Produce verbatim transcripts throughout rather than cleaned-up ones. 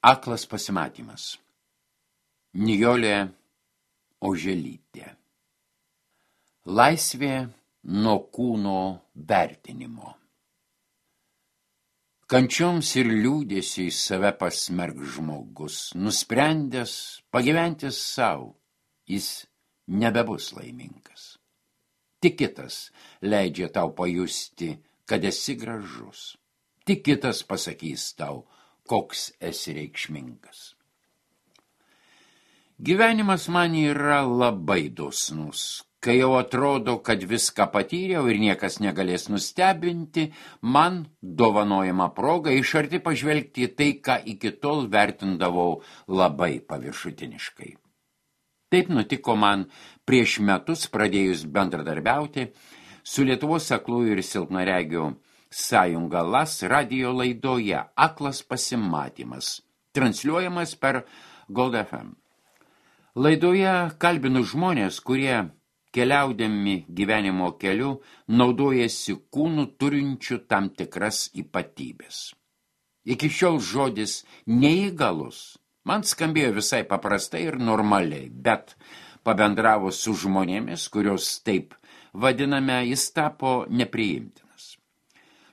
Aklas pasimatymas. Nijolė Oželytė. Laisvė nuo kūno vertinimo. Kančioms ir liūdėsiui save pasmerk žmogus, nusprendęs pagyventi savo, jis nebebus laimingas. Tik kitas leidžia tau pajusti, kad esi gražus. Tik kitas pasakys tau, koks esi reikšmingas. Gyvenimas man yra labai dosnus, kai jau atrodo, kad viską patyriau ir niekas negalės nustebinti, man dovanojama proga iš arti pažvelgti į tai, ką iki tol vertindavau labai paviršutiniškai. Taip nutiko man prieš metus pradėjus bendradarbiauti su Lietuvos aklųjų ir silpnaregių sąjunga LAS radijo laidoje Aklas pasimatymas, transliuojamas per Gold F M. Laidoje kalbinu žmonės, kurie keliaudami gyvenimo keliu naudojasi kūnų turinčių tam tikras ypatybės. Iki šiol žodis neįgalus man skambėjo visai paprastai ir normaliai, bet pabendravus su žmonėmis, kurios taip vadiname, jis tapo nepriimtinas.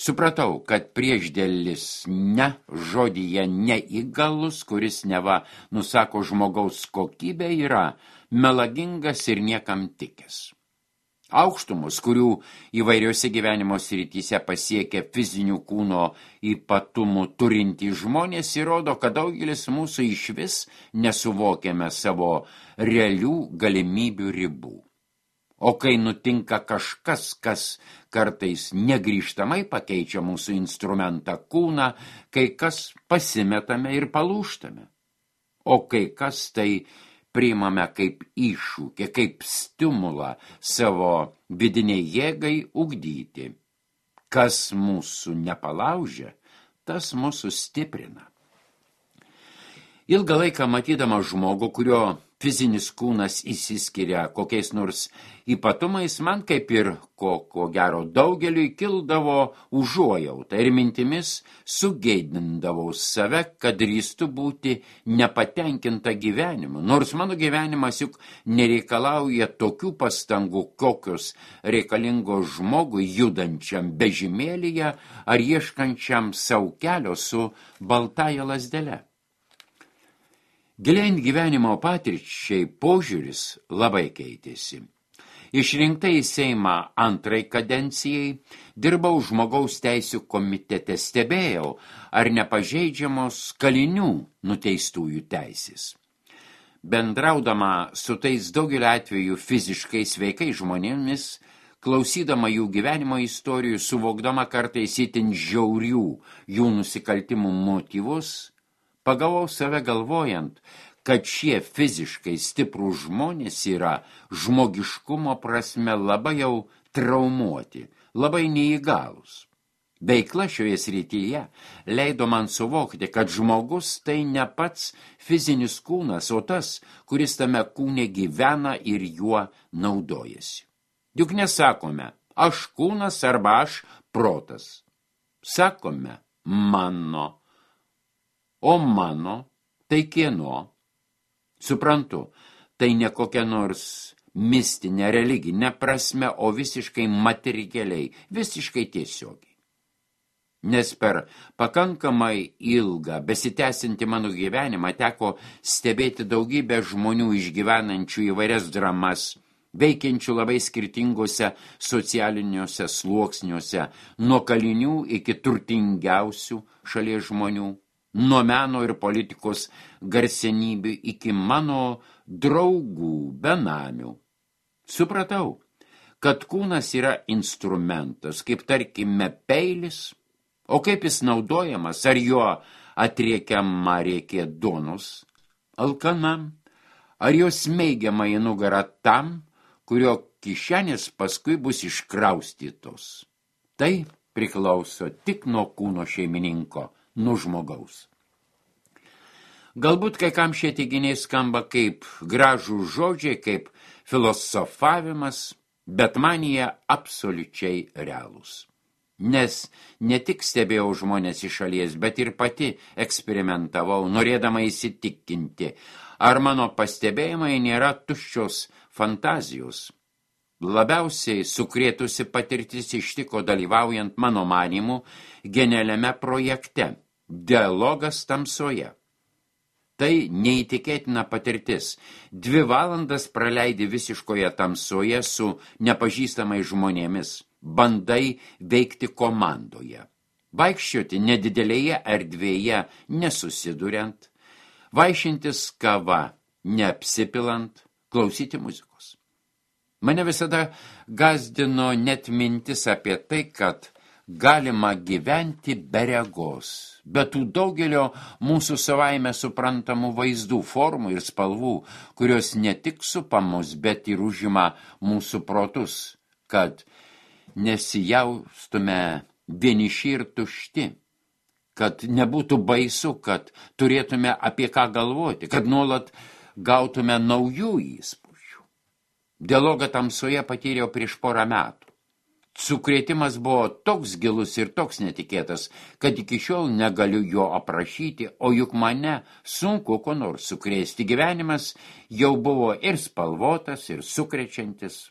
Supratau, kad priešdėlis ne žodyje neįgalus, kuris neva nusako žmogaus kokybę, yra melagingas ir niekam tikęs. Aukštumus, kurių įvairiose gyvenimo srityse pasiekia fizinių kūno ypatumų turintys žmonės, įrodo, kad daugelis mūsų išvis nesuvokiame savo realių galimybių ribų. O kai nutinka kažkas, kas kartais negrįžtamai pakeičia mūsų instrumentą kūną, kai kas pasimetame ir palūžtame. O kai kas tai priimame kaip iššūkį, kaip stimulą savo vidiniai jėgai ugdyti. Kas mūsų nepalaužia, tas mūsų stiprina. Ilgą laiką matydama žmogų, kurio fizinis kūnas įsiskiria kokiais nors ypatumais, man kaip ir ko, ko gero daugeliui kildavo užuojauta ir mintimis sugeidindavau save, kad drįstu būti nepatenkinta gyvenimu. Nors mano gyvenimas juk nereikalauja tokių pastangų, kokios reikalingos žmogui judančiam vežimėlyje ar ieškančiam sau kelio su baltąja lazdele. Giliant gyvenimo patirčiai požiūris labai keitėsi. Išrinkta į Seimą antrai kadencijai, dirbau žmogaus teisių komitete, stebėjau, ar nepažeidžiamos kalinių nuteistųjų teisės. Bendraudama su tais daugelio atveju fiziškai sveikai žmonėmis, klausydama jų gyvenimo istorijų, suvokdama kartais itin žiaurių jų nusikaltimų motyvus, pagavau save galvojant, kad šie fiziškai stiprų žmonės yra žmogiškumo prasme labai jau traumuoti, labai neįgalus. Veikla šioje srityje leido man suvokti, kad žmogus tai ne pats fizinis kūnas, o tas, kuris tame kūne gyvena ir juo naudojasi. Juk nesakome, aš kūnas arba aš protas. Sakome, mano. O mano, tai kieno? Suprantu, tai ne kokia nors mistinė religinė prasme, o visiškai materialiai, visiškai tiesiogiai. Nes per pakankamai ilgą, besitęsinti mano gyvenimą teko stebėti daugybę žmonių išgyvenančių įvairias dramas, veikiančių labai skirtingose socialiniuose sluoksniuose, nuo kalinių iki turtingiausių šalies žmonių, nuo meno ir politikos garsenybių iki mano draugų, benamių. Supratau, kad kūnas yra instrumentas, kaip tarkime peilis, o kaip jis naudojamas, ar jo atriekiama rėkė duonos alkanam, ar jo smeigiama į nugarą tam, kurio kišenės paskui bus iškraustytos. Tai priklauso tik nuo kūno šeimininko, nuo žmogaus. Galbūt kai kam šie teiginiai skamba kaip gražų žodžiai, kaip filosofavimas, bet man jie absoliučiai realūs. nes ne tik stebėjau žmonės iš šalies, bet ir pati eksperimentavau, norėdama įsitikinti, ar mano pastebėjimai nėra tuščios fantazijos. Labiausiai sukrėtusi patirtis ištiko dalyvaujant mano manimu genialiame projekte Dialogas tamsoje. Tai neįtikėtina patirtis. Dvi valandas praleidi visiškoje tamsoje su nepažįstamais žmonėmis. Bandai veikti komandoje. Vaikščioti nedidelėje erdvėje nesusiduriant. Vaišintis kava neapsipilant. Klausyti muzikos. Mane visada gazdino net mintis apie tai, kad galima gyventi be regos, be tų daugelio mūsų savaime suprantamų vaizdų, formų ir spalvų, kurios ne tik supa mus, bet ir užima mūsų protus, kad nesijaustume vieniši ir tušti, kad nebūtų baisu, kad turėtume apie ką galvoti, kad nuolat gautume naujų įspūdžių. Dialogą tamsoje patyriau prieš porą metų. Sukrėtimas buvo toks gilus ir toks netikėtas, kad iki šiol negaliu jo aprašyti, o juk mane sunku ko nors sukrėsti. Gyvenimas jau buvo ir spalvotas, ir sukrečiantis.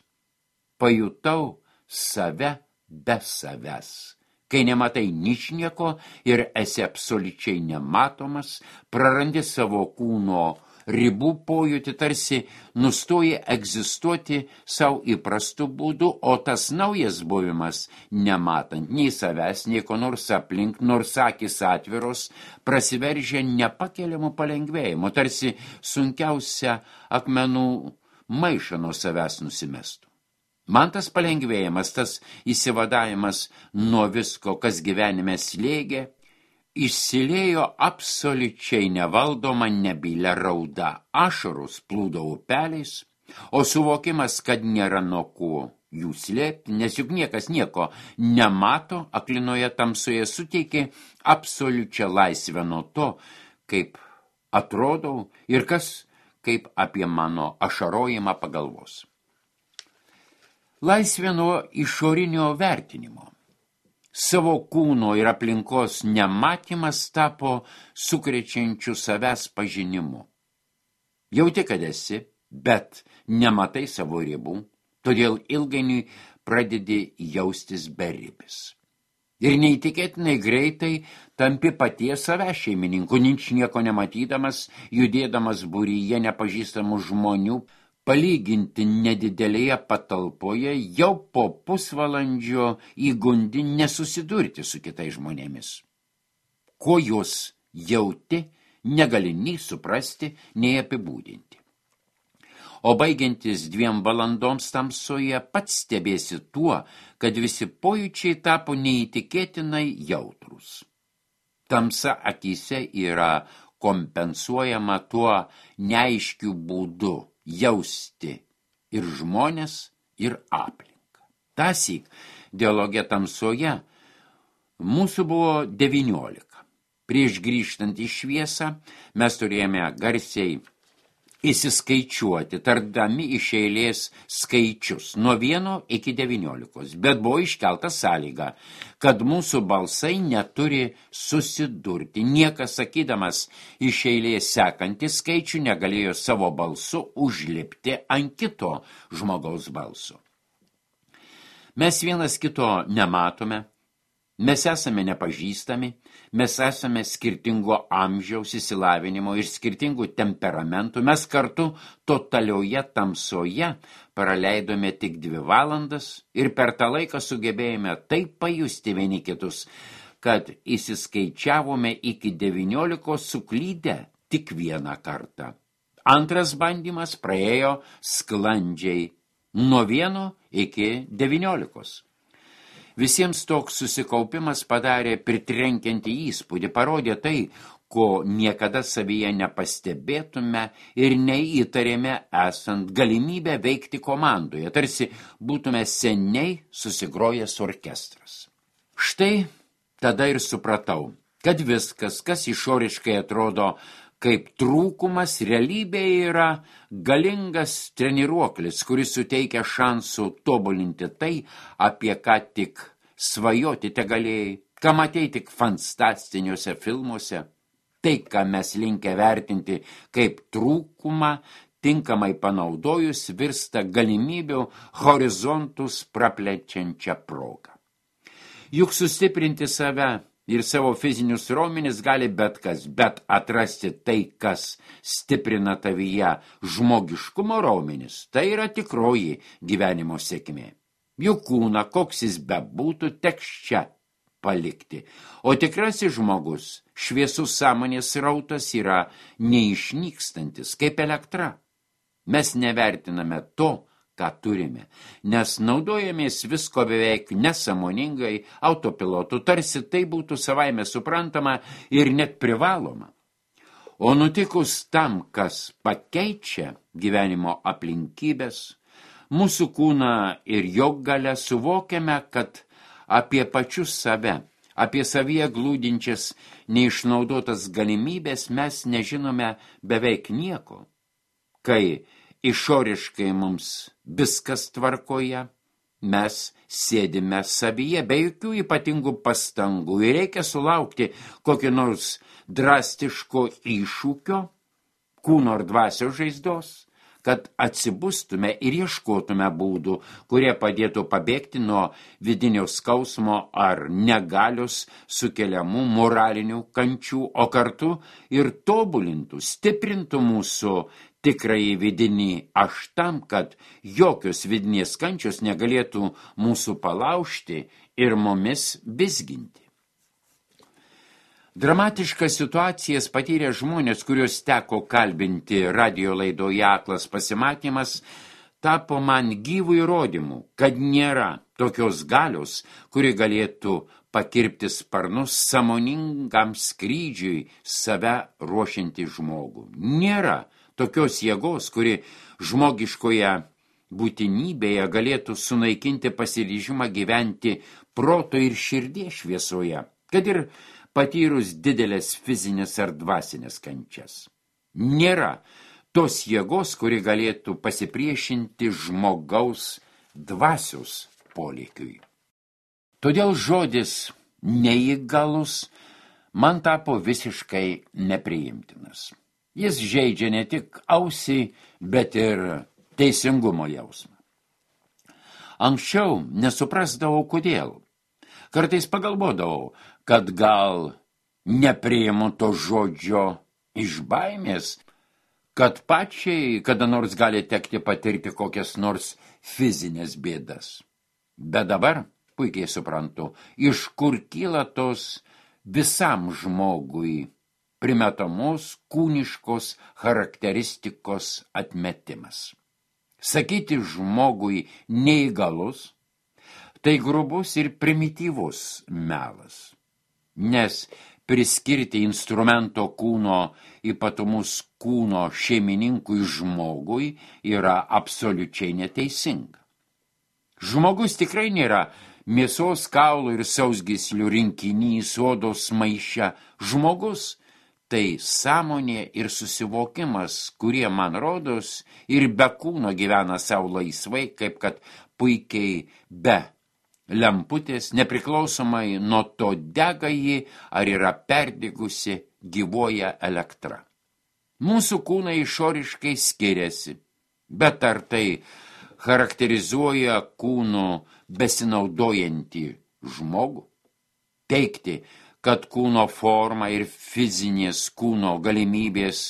Pajutau save be savęs. Kai nematai ničnieko ir esi absoliučiai nematomas, prarandi savo kūno ribų pojūtį, tarsi nustoji egzistuoti savo įprastų būdų, o tas naujas buvimas, nematant nei savęs, nei ko nors aplink, nors akys atviros, prasiveržia nepakeliamų palengvėjimų, tarsi sunkiausia akmenų maišą nuo savęs nusimestų. Man tas palengvėjimas, tas įsivadavimas nuo visko, kas gyvenime slėgė, išsiliejo absoliučiai nevaldoma nebylė rauda, ašarus plūdo upeliais, o suvokimas, kad nėra nuo ko jų slėpti, nes juk niekas nieko nemato, aklinoje tamsoje suteikė absoliučią laisvę nuo to, kaip atrodau ir kas, kaip apie mano ašarojimą pagalvos. Laisvė nuo išorinio vertinimo. Savo kūno ir aplinkos nematymas tapo sukrečiančiu savęs pažinimu. Jauti, kad esi, bet nematai savo ribų, todėl ilgainiui pradedi jaustis beribis. Ir neįtikėtinai greitai tampi paties savęs šeimininku, ničnieko nematydamas, judėdamas būryje nepažįstamų žmonių, palyginti nedidelėje patalpoje, jau po pusvalandžio įgundi nesusidurti su kitais žmonėmis. Ko jūs jauti, negali nei suprasti, nei apibūdinti. O baigiantis dviem valandoms tamsoje, pats stebėsi tuo, kad visi pojūčiai tapo neįtikėtinai jautrus. Tamsa akyse yra kompensuojama tuo neaiškiu būdu jausti ir žmonės, ir aplinką. Tąsyk dialoge tamsoje mūsų buvo devyniolika. Prieš grįžtant į šviesą mes turėjome garsiai įsiskaičiuoti, tardami iš eilės skaičius nuo vieno iki devyniolikos, bet buvo iškelta sąlyga, kad mūsų balsai neturi susidurti. Niekas, sakydamas iš eilės sekantį skaičių, negalėjo savo balsu užlipti ant kito žmogaus balso. Mes vienas kito nematome, mes esame nepažįstami, mes esame skirtingo amžiaus, išsilavinimo ir skirtingų temperamentų. Mes kartu totalioje tamsoje praleidome tik dvi valandas ir per tą laiką sugebėjome taip pajusti vieni kitus, kad įsiskaičiavome iki devyniolikos suklydę tik vieną kartą. Antras bandymas praėjo sklandžiai nuo vieno iki devyniolikos. Visiems toks susikaupimas padarė pritrenkiantį įspūdį, parodė tai, ko niekada savyje nepastebėtume ir neįtarėme esant galimybę veikti komandoje, tarsi būtume seniai susigrojęs orkestras. Štai tada ir supratau, kad viskas, kas išoriškai atrodo kaip trūkumas, realybėje yra galingas treniruoklis, kuris suteikia šansų tobulinti tai, apie ką tik svajoti te galėjai, ką matei tik fantastiniuose filmuose, tai, ką mes linkę vertinti kaip trūkumą, tinkamai panaudojus virsta galimybių horizontus praplečiančią progą. Juk sustiprinti save ir savo fizinius raumenis gali bet kas, bet atrasti tai, kas stiprina tavyje žmogiškumo raumenis, tai yra tikroji gyvenimo sėkmė. Juk kūną, koks jis bebūtų, teks čia palikti. O tikrasis žmogus, šviesus sąmonės rautas yra neišnykstantis, kaip elektra. Mes nevertiname to, ką turime, nes naudojamės visko beveik nesąmoningai autopilotu, tarsi tai būtų savaime suprantama ir net privaloma. O nutikus tam, kas pakeičia gyvenimo aplinkybės, mūsų kūną ir jo galę suvokiame, kad apie pačius save, apie savyje glūdinčias neišnaudotas galimybės mes nežinome beveik nieko. Kai išoriškai mums viskas tvarkoje, mes sėdime savyje be jokių ypatingų pastangų ir reikia sulaukti kokio nors drastiško iššūkio, kūno ar dvasios žaizdos, kad atsibustume ir ieškotume būdų, kurie padėtų pabėgti nuo vidinio skausmo ar negalios sukeliamų moralinių kančių, o kartu ir tobulintų, stiprintų mūsų tikrąjį vidinį aš tam, kad jokios vidinės kančios negalėtų mūsų palaužti ir mumis vizginti. Dramatiškas situacijas patyrė žmonės, kuriuos teko kalbinti radijo laidoje Aklas pasimatymas, tapo man gyvų įrodymų, kad nėra tokios galios, kuri galėtų pakirpti sparnus sąmoningam skrydžiui save ruošiantį žmogų. Nėra tokios jėgos, kuri žmogiškoje būtinybėje galėtų sunaikinti pasiryžimą gyventi proto ir širdies šviesoje, kad ir patyrus didelės fizinės ar dvasinės kančias. Nėra tos jėgos, kuri galėtų pasipriešinti žmogaus dvasios polėkiui. Todėl žodis neįgalus man tapo visiškai nepriimtinas. Jis žeidžia ne tik ausį, bet ir teisingumo jausmą. Anksčiau nesuprasdavau, kodėl. Kartais pagalvodavau, kad gal nepriimu to žodžio iš baimės, kad pačiai kada nors gali tekti patirti kokias nors fizinės bėdas. Bet dabar puikiai suprantu, iš kur kyla tos visam žmogui primetamos kūniškos charakteristikos atmetimas. Sakyti žmogui neįgalus, tai grubus ir primityvus melas, nes priskirti instrumento kūno ypatumus kūno šeimininkui žmogui yra absoliučiai neteisinga. Žmogus tikrai nėra mėsos, kaulų ir sausgyslių rinkinys, odos maiše. Žmogus tai sąmonė ir susivokimas, kurie, man rodos, ir be kūno gyvena savo laisvai, kaip kad puikiai be lemputės, nepriklausomai nuo to dega ji ar yra perdigusi gyvoja elektra. Mūsų kūnai išoriškai skiriasi, bet ar tai charakterizuoja kūnu besinaudojantį žmogų? Teigti, kad kūno forma ir fizinės kūno galimybės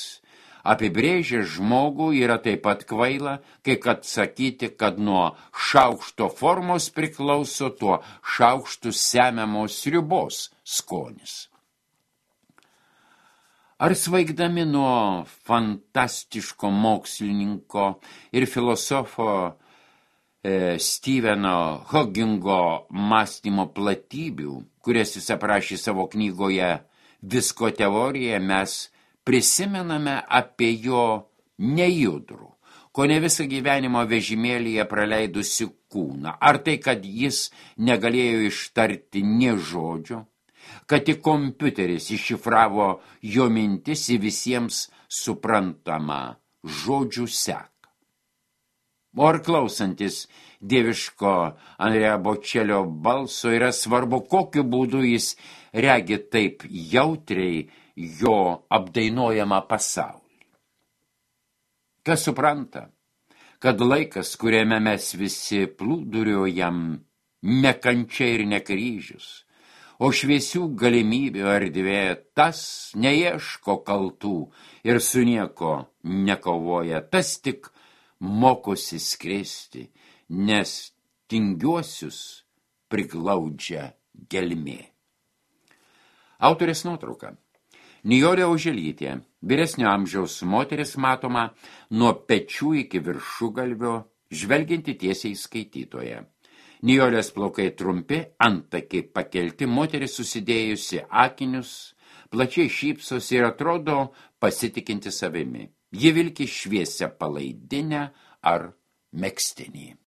apibrėžia žmogų yra taip pat kvaila, kai kad sakyti, kad nuo šaukšto formos priklauso tuo šaukštų semiamos sriubos skonis. Ar svaigdami nuo fantastiško mokslininko ir filosofo e, Steveno Hawkingo mąstymo platybių, kurias jis aprašė savo knygoje Visko teorija, mes prisimename apie jo nejudrų, kone visą gyvenimo vežimėlyje praleidusi kūną. Ar tai, kad jis negalėjo ištarti nė žodžio, kad tik kompiuteris iššifravo jo mintis į visiems suprantamą žodžių seką. O ar klausantis dieviško Andrea Bocelio balso yra svarbu, kokiu būdu jis regi taip jautriai jo apdainuojamą pasaulį. Kas supranta, kad laikas, kuriame mes visi plūduriuojam, ne kančia ir ne kryžius, o šviesių galimybių erdvė, tas neieško kaltų ir su nieko nekovoja, tas tik mokosi skristi, nes tingiuosius priglaudžia gelmė. Autorės nuotrauka. Nijolė Oželytė, vyresnio amžiaus moteris matoma nuo pečių iki viršugalvio, žvelgianti tiesiai skaitytoje. Nijolės plaukai trumpi, antakiai pakelti, moteris susidėjusi akinius, plačiai šypsosi ir atrodo pasitikinti savimi. Ji vilki šviesią palaidinę ar megztinį.